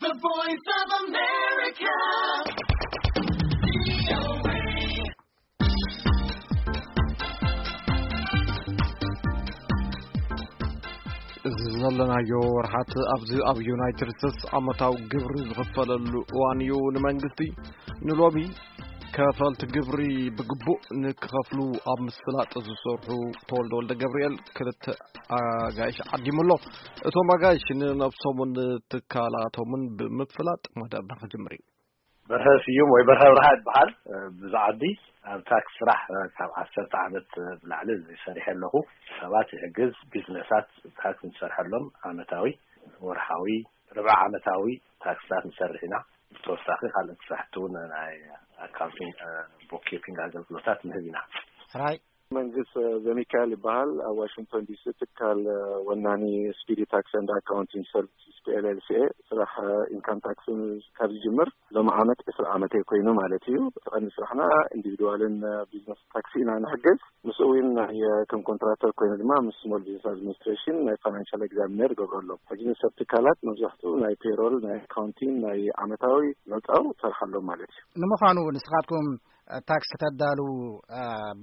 The Voice of America. እዚ ዘለናዮ ወርሓት ኣብዚ ኣብ ዩናይትድ ስቴትስ ዓመታዊ ግብሪ ዝኽፈለሉ እዋን እዩ። ንመንግስቲ ንሎሚ ከፈልቲ ግብሪ ብግቡእ ንክኸፍሉ ኣብ ምስላጥ ዝሰርሑ ተወልደ ወልደ ገብርኤል ክልተ ኣጋይሽ ዓዲሙ ኣሎ። እቶም ኣጋይሽ ንነብሶምን ትካላቶምን ብምፍላጥ መደብና ክጅምር እዩ። በርሀ ስዩም ወይ በርሀ ብርሃ ይበሃል። ብዛዕዲ ኣብ ታክስ ስራሕ ካብ ዓሰርተ ዓመት ብላዕሊ ሰሪሐ ኣለኹ። ሰባት ይሕግዝ፣ ቢዝነሳት ታክስ ንሰርሐሎም፣ ዓመታዊ፣ ወርሓዊ፣ ርብዓ ዓመታዊ ታክስታት ንሰርሕ ኢና። ብተወሳኺ ካልኦት ስራሕቲ እውን ናይ ኣካውንቲንግ፣ ቦክኪፒንግ ኣገልግሎታት ንህብ ኢና። ሕራይ። መንግስት ዘሚካኤል ይበሃል። ኣብ ዋሽንግቶን ዲሲ ትካል ወናኒ ስፒዲ ታክስ ኤንድ ኣካውንቲንግ ሰርቪስስ ፒ ኤል ኤል ሲ ኤ ስራሕ ኢንካም ታክስ ካብ ዝጅምር ሎም ዓመት ዕስራ ዓመተይ ኮይኑ ማለት እዩ። ቀንዲ ስራሕና ኢንዲቪድዋልን ቢዝነስ ታክሲ ኢና ንሕግዝ። ምስ እውን ናይ ከም ኮንትራክተር ኮይኑ ድማ ምስ ስሞል ቢዝነስ ኣድሚኒስትሬሽን ናይ ፋይናንሻል ኤግዛሚነር ገብረሎም። ሕጂ ንሰብ ትካላት መብዛሕትኡ ናይ ፔሮል፣ ናይ ኣካውንቲንግ፣ ናይ ዓመታዊ መውፃው ሰርሓሎም ማለት እዩ። ንምዃኑ ንስኻትኩም ታክስ ከተዳልዉ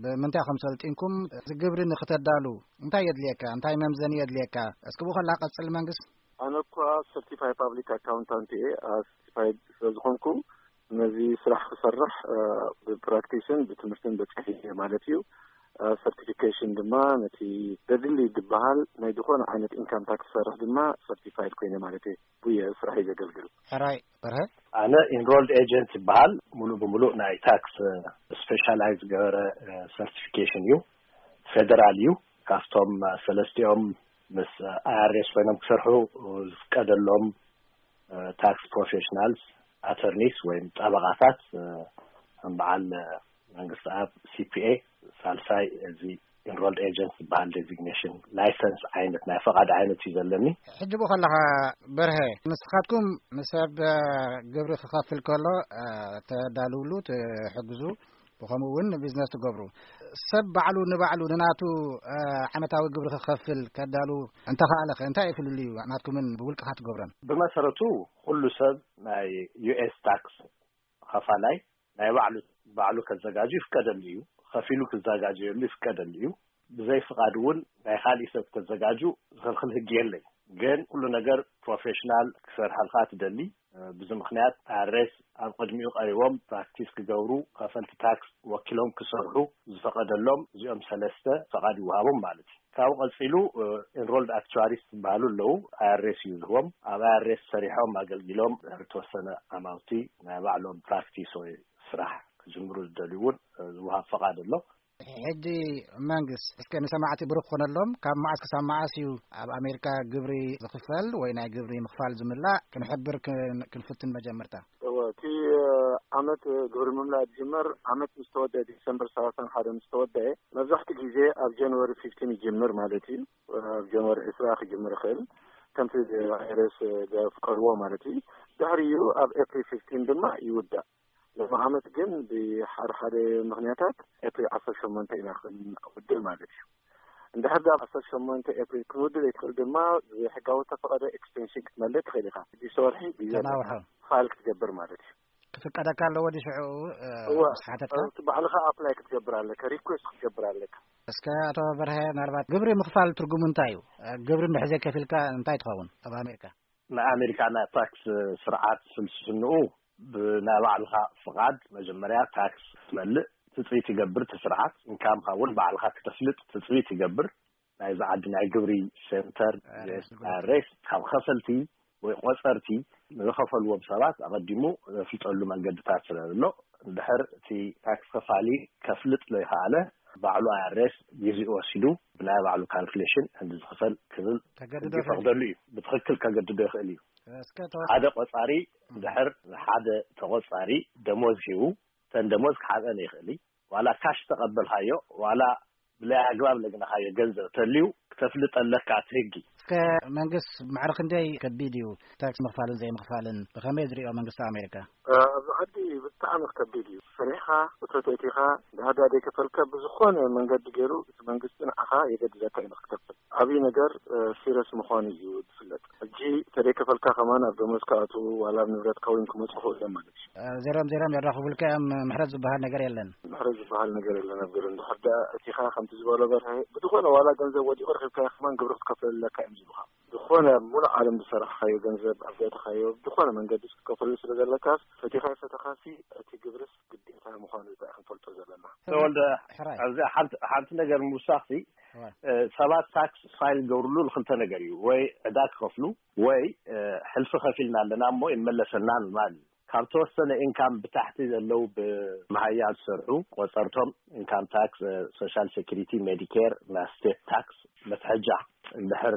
ብምንታይ ከም ሰልጢንኩም፣ እዚ ግብሪ ንክተዳሉ እንታይ የድልየካ? እንታይ መምዘኒ የድልየካ? እስኪ ብኡ ከላ ቀጽል መንግስት። ኣነ እኳ ሰርቲፋይ ፓብሊክ ኣካውንታንት እየ። ሰርቲፋይድ ስለዝኾንኩ ነዚ ስራሕ ክሰርሕ ብፕራክቲስን ብትምህርትን በፂሐ ማለት እዩ። ሰርቲፊኬሽን ድማ ነቲ ዘድሊ ዝበሃል ናይ ዝኾነ ዓይነት ኢንካም ታክስ ሰርሕ ድማ ሰርቲፋይድ ኮይነ ማለት እዩ። ብየ ስራሕ እዩ ዘገልግል። ሕራይ በርሀ። ኣነ ኢንሮልድ ኤጀንት ይበሃል። ሙሉእ ብሙሉእ ናይ ታክስ ስፔሻላይዝ ዝገበረ ሰርቲፊኬሽን እዩ። ፌደራል እዩ። ካብቶም ሰለስቲኦም ምስ ኣይ ኣር ኤስ ኮይኖም ክሰርሑ ዝፍቀደሎም ታክስ ፕሮፌሽናልስ፣ ኣተርኒስ ወይም ጠበቓታት፣ ከም በዓል መንግስቲ ኣብ ሲ ፒ ኤ፣ ሳልሳይ እዚ ኢንሮልድ ኤጀንት ዝበሃል ዴዚግኔሽን ላይሰንስ ዓይነት ናይ ፈቓድ ዓይነት እዩ ዘለኒ። ሕጂ ብኡ ከለኻ በርሀ፣ ንስኻትኩም ንሰብ ግብሪ ክኸፍል ከሎ ተዳልውሉ ትሕግዙ፣ ብኸምኡ እውን ንቢዝነስ ትገብሩ። ሰብ ባዕሉ ንባዕሉ ንናቱ ዓመታዊ ግብሪ ክኸፍል ከዳሉ እንተኸኣለኸ እንታይ እዩ ፍልልዩ ናትኩምን ብውልቅኻ ትገብሮን? ብመሰረቱ ኩሉ ሰብ ናይ ዩ ኤስ ታክስ ኸፋላይ ናይ ባዕሉ ባዕሉ ከዘጋጁ ይፍቀደሉ እዩ። ከፊሉ ክዘጋጀየሉ ይፍቀደሉ እዩ። ብዘይ ፍቓድ እውን ናይ ካሊእ ሰብ ከዘጋጁ ዝኽልኽል ህጊ የለይ። ግን ኩሉ ነገር ፕሮፌሽናል ክሰርሐልካ ትደሊ። ብዚ ምኽንያት ኣይ ኣር ኤስ ኣብ ቅድሚኡ ቀሪቦም ፕራክቲስ ክገብሩ፣ ከፈልቲ ታክስ ወኪሎም ክሰርሑ ዝፈቐደሎም እዚኦም ሰለስተ ፈቓድ ይወሃቦም ማለት እዩ። ካብኡ ቀጺሉ ኢንሮልድ ኣክቹዋሪስ ዝበሃሉ ኣለዉ። ኣይ ኣር ኤስ እዩ ዝህቦም። ኣብ ኣይ ኣር ኤስ ሰሪሖም ኣገልጊሎም ድሕሪ ተወሰነ ዓማውቲ ናይ ባዕሎም ፕራክቲስ ወይ ስራሕ ክጅምሩ ዝደልዩ እውን ዝወሃብ ፈቓድ ኣሎ። ሕጂ መንግስት እስከ ንሰማዕቲ ብሩኽ ክኾነሎም፣ ካብ መዓስ ክሳብ መዓስ እዩ ኣብ ኣሜሪካ ግብሪ ዝኽፈል ወይ ናይ ግብሪ ምኽፋል ዝምላእ ክንሕብር ክን- ክንፍትን መጀመርታ። እወ፣ እቲ ዓመት ግብሪ ምምላእ ዝጅመር ዓመት ምስ ተወደአ፣ ዲሰምበር ሰላሳን ሓደ ምስ ተወደአ፣ መብዛሕትኡ ግዜ ኣብ ጃንዋሪ ፊፍቲን ይጅምር ማለት እዩ። ኣብ ጃንዋሪ ዕስራ ክጅምር ይኽእል፣ ከምቲ ኣይ ኣር ኤስ ዘፍቀድዎ ማለት እዩ። ድሕሪኡ ኣብ ኤፕሪል ፊፍቲን ድማ ይውዳእ። ሎም ዓመት ግን ብሓደ ሓደ ምኽንያታት ኤፕሪል ዓሰርተ ሸሞንተ ኢና ክንውድእ ማለት እዩ። እንድሕር ዳ ዓሰርተ ሸሞንተ ኤፕሪል ክንውድእ ዘይትኽእል ድማ ብሕጋዊ ተፈቐደ ኤክስቴንሽን ክትመልእ ትኽእል ኢኻ። ሽዱሽተ ወርሒ ግዜ ኣለካ ተናውሖ። ፋይል ክትገብር ማለት እዩ። ክፍቀደካ ኣለዎ ድዩ ሽዑ እወ፣ ምስ ሓተትካ? እቲ ባዕልኻ ኣፕላይ ክትገብር ኣለካ፣ ሪኩዌስት ክትገብር ኣለካ። እስከ ኣቶ በርሀ፣ ምናልባት ግብሪ ምኽፋል ትርጉሙ እንታይ እዩ? ግብሪ እንድሕር ዘይከፊልካ እንታይ ትኸውን ኣብ ኣሜሪካ? ናይ ኣሜሪካ ናይ ታክስ ስርዓት ፍልስፍንኡ ብናይ ባዕልኻ ፍቓድ መጀመርያ ታክስ ክትመልእ ትፅቢት ይገብር። እቲ ስርዓት ኢንካምካ እውን ባዕልኻ ክተፍልጥ ትፅቢት ይገብር። ናይዚ ዓዲ ናይ ግብሪ ሴንተር ሬስ ካብ ከፈልቲ ወይ ቆፀርቲ ንዝኸፈልዎም ሰባት ኣቐዲሙ ዘፍልጠሉ መንገድታት ስለ ዘሎ፣ እንድሕር እቲ ታክስ ከፋሊ ከፍልጥ ዘይኸኣለ፣ ባዕሉ ኣይ ኣር ኤስ ግዜኡ ወሲዱ ብናይ ባዕሉ ካልኩሌሽን ክንዲ ዝኽፈል ክብል ተገድዶ ሕጊ ይኽእል ይፈቕደሉ እዩ። ብትኽክል ከገድዶ ይኽእል እዩ። እስከ ተወ- ሓደ ቆፃሪ ድሕር ንሓደ ተቆፃሪ ደሞዝ ሂቡ፣ ተን ደሞዝ ክሓብአን ይኽእል እዩ። ዋላ ካሽ ተቐበልካዮ፣ ዋላ ብላይ ኣግባብ ለግነኻዮ ገንዘብ ተልዩ ክተፍልጥ ኣለካ እቲ ህጊ። ከመንግስት ማዕረ ክንደይ ከቢድ እዩ? ታክስ ምኽፋልን ዘይምኽፋልን ብኸመይ ዝሪኦ መንግስቲ ኣሜሪካ? ኣብዚ ዓዲ ብጣዕሚ ከቢድ እዩ። ሰሪሕኻ፣ እቶት ኣእቲኻ፣ ድሃዳ ዘይከፈልካ ብዝኾነ መንገዲ ገይሩ እቲ መንግስቲ ንዓኻ የገድደካ እዩ ንክትከፍል። ዓብዪ ነገር ሲረስ ምዃኑ እዩ ዝፍለጥ። ሕጂ ተደይከፈልካ ከማን ኣብ ደሞዝ ክኣትዉ ዋላ ኣብ ንብረትካ እውን ክመፁ ክእሉ እዮም ማለት እዩ። ዜሮም ዜሮም የራኽቡልካ እዮም። ምሕረት ዝበሃል ነገር የለን። ምሕረት ዝበሃል ነገር የለን ኣብ ገሩ። እንድሕር ደኣ እቲኻ ከምቲ ዝበሎ በርሀ ብዝኾነ ዋላ ገንዘብ ወዲቑ ረኺብካዮ ከማን ግብሪ ክትከፍል ኣለካ እዮም ዝብሉኻ። ዝኾነ ኣብ ሙሉእ ዓለም ዝሰራሕኻዮ ገንዘብ ኣብ ዘእተኻዮ ብዝኾነ መንገዲ ክትከፍሉ ስለ ዘለካስ ፈቲኻ ፈተኻሲ እቲ ግብርስ ግዴታ ምዃኑ እዛ ክንፈልጦ ዘለና። ተወልደ፣ ሕራይ። ኣብዚ ሓንቲ ነገር ምውሳኽሲ ሰባት ታክስ ፋይል ገብርሉ ንክልተ ነገር እዩ። ወይ ዕዳ ክኸፍሉ ወይ ሕልፊ ከፊልና ኣለና እሞ ይመለሰና ምባል እዩ። ካብ ተወሰነ ኢንካም ብታሕቲ ዘለዉ ብመሃያ ዝሰርሑ ቆፀርቶም ኢንካም ታክስ፣ ሶሻል ሴኩሪቲ፣ ሜዲኬር፣ ናይ ስቴት ታክስ መትሐጃ እንድሕር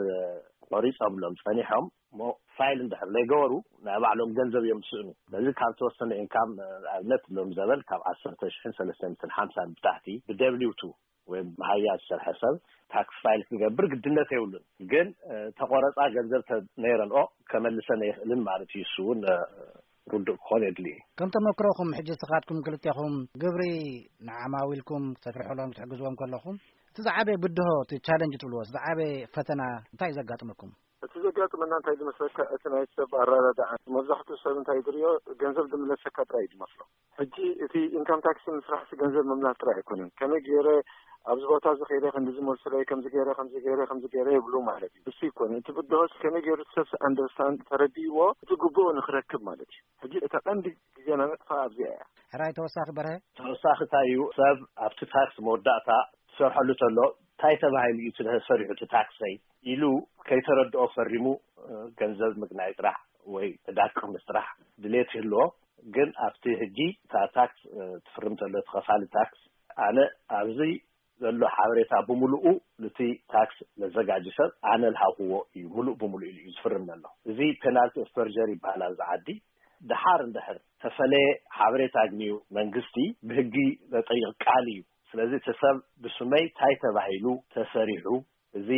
ቆሪፆምሎም ፀኒሖም እሞ ፋይል እንድሕር ዘይገበሩ ናይ ባዕሎም ገንዘብ እዮም ዝስእኑ። ስለዚ ካብ ተወሰነ ኢንካም ኣብነት ሎም ዘበን ካብ ዓሰርተ ሽሕን ሰለስተ ሚእትን ሓምሳን ብታሕቲ ብደብሊው ቱ ወይ መሃያ ዝሰርሐ ሰብ ታክስ ፋይል ክገብር ግድነት የብሉን። ግን ተቆረፃ ገንዘብ ነይረንኦ ከመልሰን ኣይኽእልን ማለት እዩ። እሱ እውን ርዱእ ክኾን የድሊ እዩ። ከም ተመክሮኹም ሕጂ ስኻትኩም ክልቴኹም ግብሪ ንዓማዊልኩም ተፍርሕሎም ክትሕግዝዎም ከለኹም እቲ ዝዓበየ ብድሆ እቲ ቻለንጅ ትብልዎ እቲ ዝዓበየ ፈተና እንታይ እዩ ዘጋጥመኩም? እቲ ዘጋጥመና እንታይ ዝመስለካ እቲ ናይ ሰብ ኣረዳድኣ መብዛሕትኡ ሰብ እንታይ ዝሪኦ ገንዘብ ዝምለሰካ ጥራይ እዩ ዝመስሎ። ሕጂ እቲ ኢንካም ታክሲ ምስራሕ ገንዘብ ምምላስ ጥራይ ኣይኮነን። ከመይ ገይረ ኣብዚ ቦታ እዚ ከይደ ክንዲ ዝመልስለይ ከምዚ ገይረ ከምዚ ገይረ ከምዚ ገይረ ይብሉ ማለት እዩ። እሱ ይኮነ እቲ ብድሆ ከመይ ገይሩ ሰብ ኣንደርስታንድ ተረዲእዎ እቲ ግቡኡ ንክረክብ ማለት እዩ። ሕጂ እታ ቀንዲ ግዜና ነጥፋ ኣብዚኣ እያ። ሕራይ ተወሳኺ በርሀ። ተወሳኺ እንታይ እዩ ሰብ ኣብቲ ታክስ መወዳእታ ትሰርሐሉ ተሎ እንታይ ተባሂሉ እዩ እቲ ሰሪሑ እቲ ታክሰይ ኢሉ ከይተረድኦ ፈሪሙ ገንዘብ ምግናይ ጥራሕ ወይ ዕዳ ክቕንስ ጥራሕ ድሌት ይህልዎ። ግን ኣብቲ ሕጂ እታ ታክስ ትፍርም ተሎ እቲ ከፋሊ ታክስ ኣነ ኣብዚ ዘሎ ሓበሬታ ብምሉኡ ነቲ ታክስ ለዘጋጂ ሰብ ኣነ ልሃብክዎ እዩ ምሉእ ብምሉእ ኢሉ እዩ ዝፍርም ዘሎ። እዚ ፔናልቲ ኦፍ ፐርጀሪ ይበሃል ኣብዚ ዓዲ። ድሓር እንድሕር ተፈለየ ሓበሬታ ኣግንዩ መንግስቲ ብህጊ ዘጠይቕ ቃል እዩ። ስለዚ እቲ ሰብ ብስመይ እንታይ ተባሂሉ ተሰሪሑ እዚ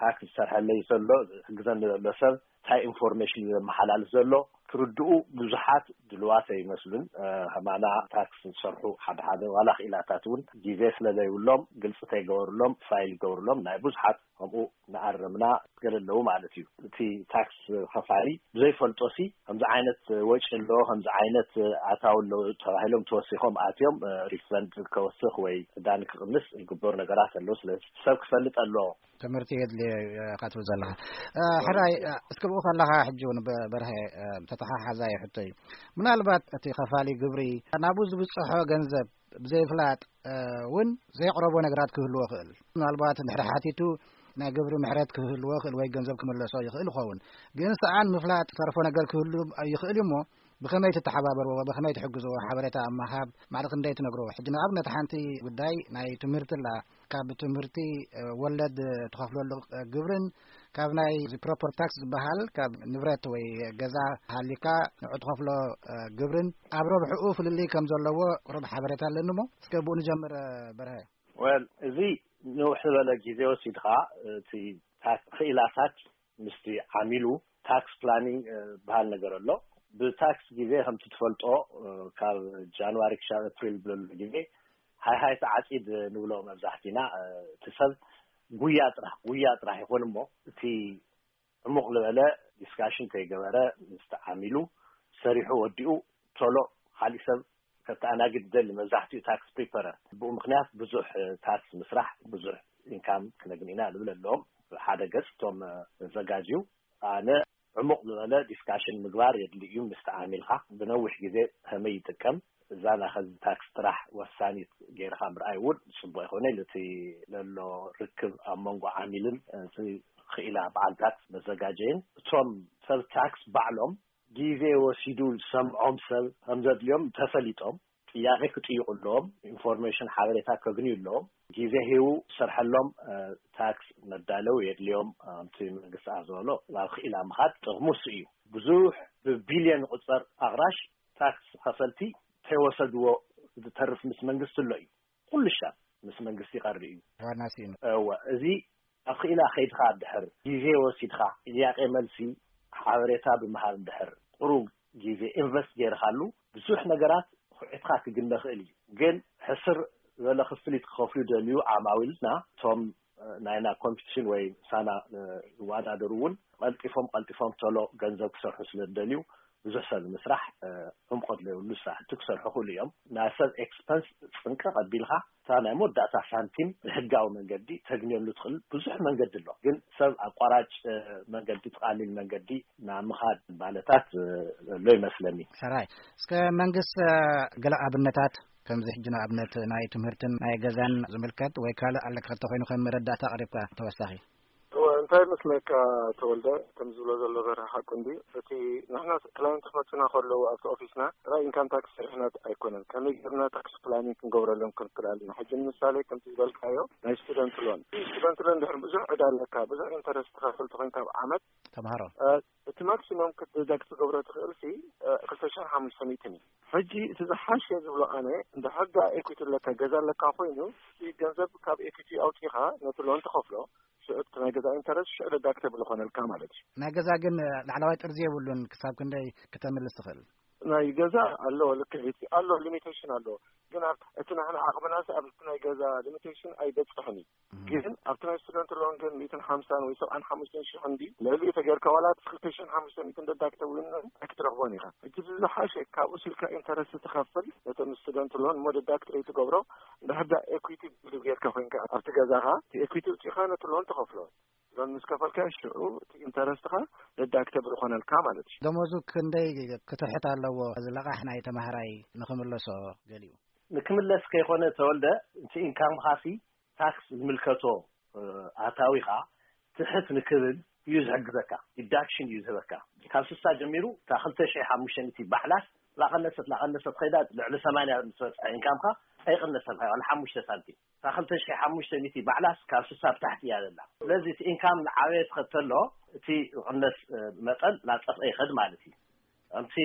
ታክስ ዝሰርሐለይ ዘሎ ዝሕግዘኒ ዘሎ ሰብ እንታይ ኢንፎርሜሽን እዩ ዘመሓላልፍ ዘሎ ክርድኡ ብዙሓት ድልዋት ኣይመስሉን። ከማና ታክስ ዝሰርሑ ሓደ ሓደ ዋላ ክኢላታት እውን ግዜ ስለ ዘይብሎም ግልፂ ተይገበርሎም ፋይል ይገብርሎም ናይ ብዙሓት ከምኡ ንኣረምና ገለ ኣለዉ ማለት እዩ። እቲ ታክስ ከፋሊ ብዘይፈልጦ ሲ ከምዚ ዓይነት ወጪ ኣሎ ከምዚ ዓይነት ኣታዊ ኣሎ ተባሂሎም ተወሲኾም ኣትዮም ሪፈንድ ከወስኽ ወይ ዕዳ ንክቕንስ ዝግበሩ ነገራት ኣለዉ። ስለዚ ሰብ ክፈልጥ ኣለዎ። ትምህርቲ የድልዮ ኢኻ ትብል ዘለኻ። ሕራይ እስከ ብኡ ከለኻ ሕጂ እውን በርሀ ተተሓሓዛይ ሕቶ እዩ። ምናልባት እቲ ከፋሊ ግብሪ ናብኡ ዝብፅሖ ገንዘብ ብዘይፍላጥ እውን ዘየቕረቦ ነገራት ክህልዎ ይኽእል። ምናልባት እንድሕር ሓቲቱ ናይ ግብሪ ምሕረት ክህልዎ ይኽእል ወይ ገንዘብ ክምለሶ ይኽእል ይኸውን። ግን ሰኣን ምፍላጥ ተርፎ ነገር ክህሉ ይኽእል እዩ እሞ ብኸመይ ትተሓባበርዎ ብኸመይ ትሕግዝዎ ሓበሬታ ኣብ ምሃብ ማዕረ ክንደይ ትነግርዎ? ሕጂ ንኣብነት ሓንቲ ጉዳይ ናይ ትምህርቲ ኣላ። ካብ ትምህርቲ ወለድ ትኸፍለሉ ግብርን ካብ ናይ ፕሮፐር ታክስ ዝበሃል ካብ ንብረት ወይ ገዛ ሃሊካ ንዑ ትኸፍሎ ግብርን ኣብ ረብሕኡ ፍልልይ ከም ዘለዎ ቁሩብ ሓበሬታ ኣለኒ እሞ እስከ ብኡ ንጀምር። በርሀ። ወል እዚ ንውሕ ዝበለ ግዜ ወሲድካ እቲ ታክስ ክኢላታት ምስቲ ዓሚሉ ታክስ ፕላኒንግ ዝበሃል ነገር ኣሎ። ብታክስ ግዜ ከምቲ ትፈልጦ ካብ ጃንዋሪ ክሻብ ኣፕሪል ብለሉ ግዜ ሃይ ሃይ ተዓፂድ ንብሎ መብዛሕቲና እቲ ሰብ ጉያ ጥራሕ ጉያ ጥራሕ ይኾን እሞ እቲ ዕሙቕ ዝበለ ዲስካሽን ከይገበረ ምስቲ ዓሚሉ ሰሪሑ ወዲኡ ቶሎ ካሊእ ሰብ ከተኣናግድ ይደሊ። መብዛሕትኡ ታክስ ፕሪፐረር ብኡ ምክንያት ብዙሕ ታክስ ምስራሕ ብዙሕ ኢንካም ክነግኒ ኢና ንብል ኣለዎም። ሓደ ገፅ እቶም ዘጋጅዩ ኣነ ዕሙቕ ዝበለ ዲስካሽን ምግባር የድሊ እዩ። ምስቲ ዓሚልካ ብነዊሕ ግዜ ከመይ ይጥቀም እዛ ናይ ኸዚ ታክስ ጥራሕ ወሳኒት ገይርካ ምርኣይ እውን ፅቡቅ ይኮነ ኢሉ እቲ ለሎ ርክብ ኣብ መንጎ ዓሚልን እቲ ክኢላ በዓል ታክስ መዘጋጀይን እቶም ሰብ ታክስ ባዕሎም ግዜ ወሲዱ ዝሰምዖም ሰብ ከም ዘድልዮም ተፈሊጦም ጥያቄ ክጥይቁ ኣለዎም። ኢንፎርሜሽን ሓበሬታ ከግንዩ ኣለዎም። ግዜ ሂቡ ዝሰርሐሎም ታክስ መዳለው የድልዮም። ከምቲ መንግስቲ ኣዘበሎ ናብ ክኢላ ምኻድ ጥቕሙ እሱ እዩ። ብዙሕ ብቢልዮን ዝቑፀር ኣቕራሽ ታክስ ከፈልቲ ተይወሰድዎ ዝተርፍ ምስ መንግስቲ ኣሎ እዩ። ኩሉ ሻብ ምስ መንግስቲ ይቐሪ እዩ። ዋና ስኢኑ። እወ፣ እዚ ኣብ ክኢላ ከይድካ ድሕር ግዜ ወሲድካ ጥያቄ መልሲ ሓበሬታ ብምሃብ ድሕር ጥሩ ግዜ ኢንቨስት ገይርካሉ ብዙሕ ነገራት ኩዕትካ ክግነ ክእል እዩ። ግን ሕስር ዝበለ ክፍሊት ክኸፍሉ ደልዩ ዓማዊልና እቶም ናይና ኮምፒቲሽን ወይ ሳና ዝወዳደሩ እውን ቀልጢፎም ቀልጢፎም ቶሎ ገንዘብ ክሰርሑ ስለ ዝደልዩ ብዙሕ ሰብ ንምስራሕ ዕምቆት ዘይብሉ ስራሕቲ ክሰርሑ ክእሉ እዮም። ናይ ሰብ ኤክስፐንስ ፅንቀ ቀቢልካ እታ ናይ መወዳእታ ሳንቲም ብሕጋዊ መንገዲ ተግንየሉ ትኽእል ብዙሕ መንገዲ ኣሎ። ግን ሰብ ኣቋራጭ መንገዲ ትቃሊል መንገዲ ናብ ምኻድ ባለታት ዘሎ ይመስለኒ። ሰራይ እስከ መንግስት ገለ ኣብነታት ከምዚ ሕጂ ንኣብነት ናይ ትምህርትን ናይ ገዛን ዝምልከት ወይ ካልእ ኣለካ ተኮይኑ ከም መረዳእታ ኣቅሪብካ ተወሳኺ እንታይ መስለካ ተወልደ ከም ዝብሎ ዘሎ በረ ሓቁ እንዲ እቲ ንሕና ክላይንት ክመፅና ከለዉ ኣብቲ ኦፊስና ጥራይ ኢንካም ታክስ ስርሕና ኣይኮነን ከመይ ገርና ታክስ ፕላኒንግ ክንገብረሎም ክንክእል ኣለና ሕጂ ንምሳሌ ከምቲ ዝበልካዮ ናይ ስቱደንት ሎን ስቱደንት ሎን ድሕር ብዙሕ ዕዳ ኣለካ ብዙሕ ኢንተረስት ትኸፍል ተኮይንካ ኣብ ዓመት ተምሃሮ እቲ ማክሲሞም ክትደግ ትገብሮ ትኽእል ሲ ክልተ ሽሕን ሓሙሽተ ሚእትን እዩ ሕጂ እቲ ዝሓሸ ዝብሎ ኣነ እንድሕር ዳ ኤኩቲ ኣለካ ገዛ ኣለካ ኮይኑ እቲ ገንዘብ ካብ ኤኩቲ ኣውፂኻ ነቲ ሎን ትኸፍሎ ሽዑ እቲ ናይ ገዛ ኢንተረስት ሽዑ ደዳክተብል ይኾነልካ ማለት እዩ ናይ ገዛ ግን ላዕለዋይ ጥርዚ የብሉን ክሳብ ክንደይ ክተምልስ ትኽእል ናይ ገዛ ኣለዎ ልክዕ እቲ ኣሎ ሊሚቴሽን ኣለዎ ግን ኣብ እቲ ንሕና ዓቕምናስ ኣብ ናይ ገዛ ሊሚቴሽን ኣይበፅሕን እዩ ግን ኣብቲ ናይ ስቱደንት ሎን ግን ሚእትን ሓምሳን ወይ ሰብዓን ሓሙሽተን ሽሕ እንዲ ልዕሊኡ ተገርካ ዋላ እቲ ክልተ ሽሕን ሓሙሽተ ሚእትን ደዳክተ እውን ኣይክትረኽቦን ኢኻ ሕጂ ዝሓሸ ካብ ውስልካ ኢንተረስት ትኸፍል ነቶም ስቱደንት ሎን እሞ ደዳክት ትገብሮ እንድሕር ዳ ኤኩዊቲ ቢልድ ጌርካ ኮይንካ ኣብቲ ገዛኻ እቲ ኤኩዊቲ ውፂእኻ ነቲ ሎን ትኸፍሎ ሎን ምስ ከፈልካ ሽዑ እቲ ኢንተረስትኻ ደዳክተብል ይኾነልካ ማለት እዩ ደሞዙ ክንደይ ክትርሕት ኣለዎ ዝለቓሕ ናይ ተማሃራይ ንኽምለሶ ገሊኡ ንክምለስ ከይኮነ ተወልደ እቲ ኢንካምኻሲ ታክስ ዝምልከቶ ኣታዊኻ ትሕት ንክብል እዩ ዝሕግዘካ ዲዳክሽን እዩ ዝህበካ ካብ ስሳ ጀሚሩ እታ ክልተ ሺሕ ሓሙሽተ ሚእቲ ባዕላስ ላቐነሰት ላቐነሰት ኸይዳ ልዕሊ ሰማንያ ምስ በፅሐ ኢንካምካ ኣይቕነሰልካ ዋላ ሓሙሽተ ሳንቲም እታ ክልተ ሺሕ ሓሙሽተ ሚእቲ ባዕላስ ካብ ስሳ ብታሕቲ እያ ዘላ ስለዚ እቲ ኢንካም ዝዓበየ ትኸድ ተሎ እቲ ዝቕነስ መጠን ላፀፍአ ይኸድ ማለት እዩ ከምቲ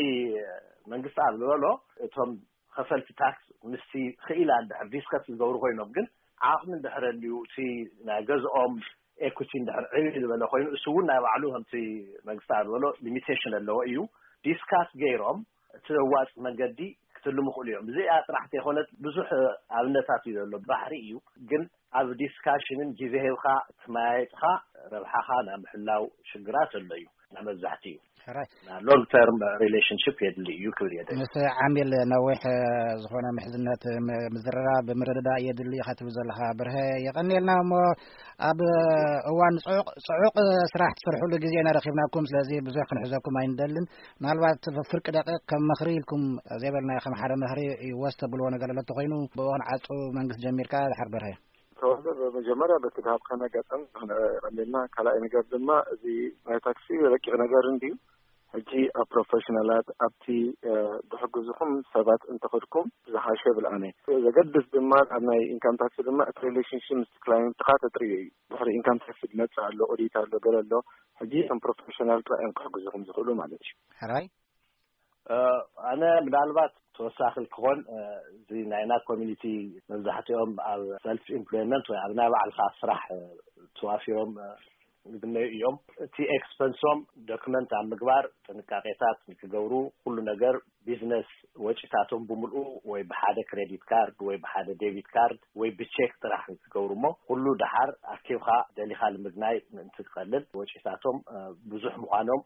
መንግስቲ ኣብ ዝበሎ እቶም ከፈልቲ ታክስ ምስቲ ክኢላ እንድሕር ዲስከስ ዝገብሩ ኮይኖም ግን ዓቕሚ እንድሕር ኣልዩ እቲ ናይ ገዝኦም ኤኩቲ እንድሕር ዕብይ ዝበለ ኮይኑ እሱ እውን ናይ ባዕሉ ከምቲ መንግስቲ ዝበሎ ሊሚቴሽን ኣለዎ እዩ ዲስካስ ገይሮም እቲ ዘዋፅ መንገዲ ክትልሙ ክእሉ እዮም እዚኣ ጥራሕ ተይኮነት ብዙሕ ኣብነታት እዩ ዘሎ ባሕሪ እዩ ግን ኣብ ዲስካሽንን ግዜ ሂብካ ተመያየጥካ ረብሓኻ ናይ ምሕላው ሽግራት ኣሎ እዩ ናይ መብዛሕቲ እዩ ሕራይ ሎንግ ተርም ሪሌሽንሽፕ የድሊ እዩ ክብል እየ ምስ ዓሚል ነዊሕ ዝኾነ ምሕዝነት ምዝርራብ ምርድዳእ የድሊ ኢኻ ትብል ዘለኻ ብርሀ የቐንየልና እሞ ኣብ እዋን ጽዑቕ ስራሕ ትሰርሕሉ ግዜ ኢና ረኺብናኩም ስለዚ ብዙሕ ክንሕዘኩም ኣይንደልን ምናልባት ፍርቂ ደቂቕ ከም ምኽሪ ኢልኩም ዘይበልናዮ ከም ሓደ ምኽሪ ይወስ ተብልዎ ነገር ኣሎ ተኾይኑ ብእዋን ዓጹ መንግስት ጀሚርካ ድሓር በርሀ ተወልደ ብመጀመርያ በቲ ዝሃብካና ኣጋጣሚ ክነቐንየልና ካልኣይ ነገር ድማ እዚ ናይ ታክሲ ረቂቕ ነገር እንድዩ ሕጂ ኣብ ፕሮፌሽናላት ኣብቲ ዝሕግዝኹም ሰባት እንተኸድኩም ዝሓሸ ይብል ኣነ ዘገድስ ድማ ኣብ ናይ ኢንካም ታክሲ ድማ እቲ ሪሌሽንሽፕ ምስ ክላይንትኻ ተጥርዮ እዩ ድሕሪ ኢንካም ታክሲ ዝመፅእ ኣሎ ኦዲት ኣሎ ገለ ኣሎ ሕጂ እቶም ፕሮፌሽናል ጥራይ እዮም ክሕግዝኹም ዝኽእሉ ማለት እዩ ሕራይ ኣነ ምናልባት ተወሳኺ ክኾን እዚ ናይና ኮሚኒቲ መብዛሕትኦም ኣብ ሰልፍ ኢምፕሎይመንት ወይ ኣብ ናይ ባዕልካ ስራሕ ተዋፊሮም ዝግነዩ እዮም። እቲ ኤክስፐንሶም ዶክመንት ኣብ ምግባር ጥንቃቄታት ንክገብሩ ኩሉ ነገር ቢዝነስ ወጪታቶም ብምልኡ ወይ ብሓደ ክሬዲት ካርድ ወይ ብሓደ ዴቢት ካርድ ወይ ብቼክ ጥራሕ ንክገብሩ እሞ ኩሉ ደሓር ኣኪብካ ደሊካ ልምግናይ ምእንቲ ክቀልል ወጪታቶም ብዙሕ ምኳኖም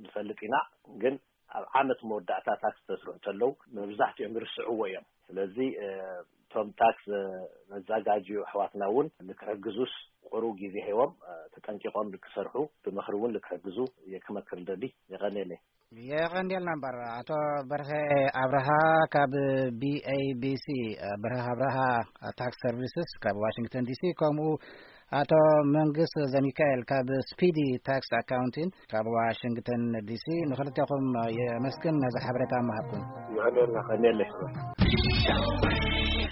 ንፈልጥ ኢና። ግን ኣብ ዓመት መወዳእታ ታክስ ተስርሑ ተለው መብዛሕትኦም ይርስዕዎ እዮም። ስለዚ እቶም ታክስ መዛጋጅዩ ኣሕዋትና እውን ንክሕግዙስ ቁሩብ ግዜ ሂቦም ተጠንቂቖም ንክሰርሑ ብምኽሪ እውን ንክሕግዙ እየ ክመክር ደሊ። የቐንየለይ። የቐንየልና እምበር ኣቶ በርሀ ኣብርሃ ካብ ቢኤቢሲ በርሀ ኣብርሃ ታክስ ሰርቪስስ ካብ ዋሽንግተን ዲሲ ከምኡ ኣቶ መንግስ ዘሚካኤል ካብ ስፒዲ ታክስ ኣካውንቲን ካብ ዋሽንግተን ዲሲ ንክልቴኹም የመስግን ነዚ ሓበሬታ ምሃብኩም። ይቐንየልና። ቀንየለይ።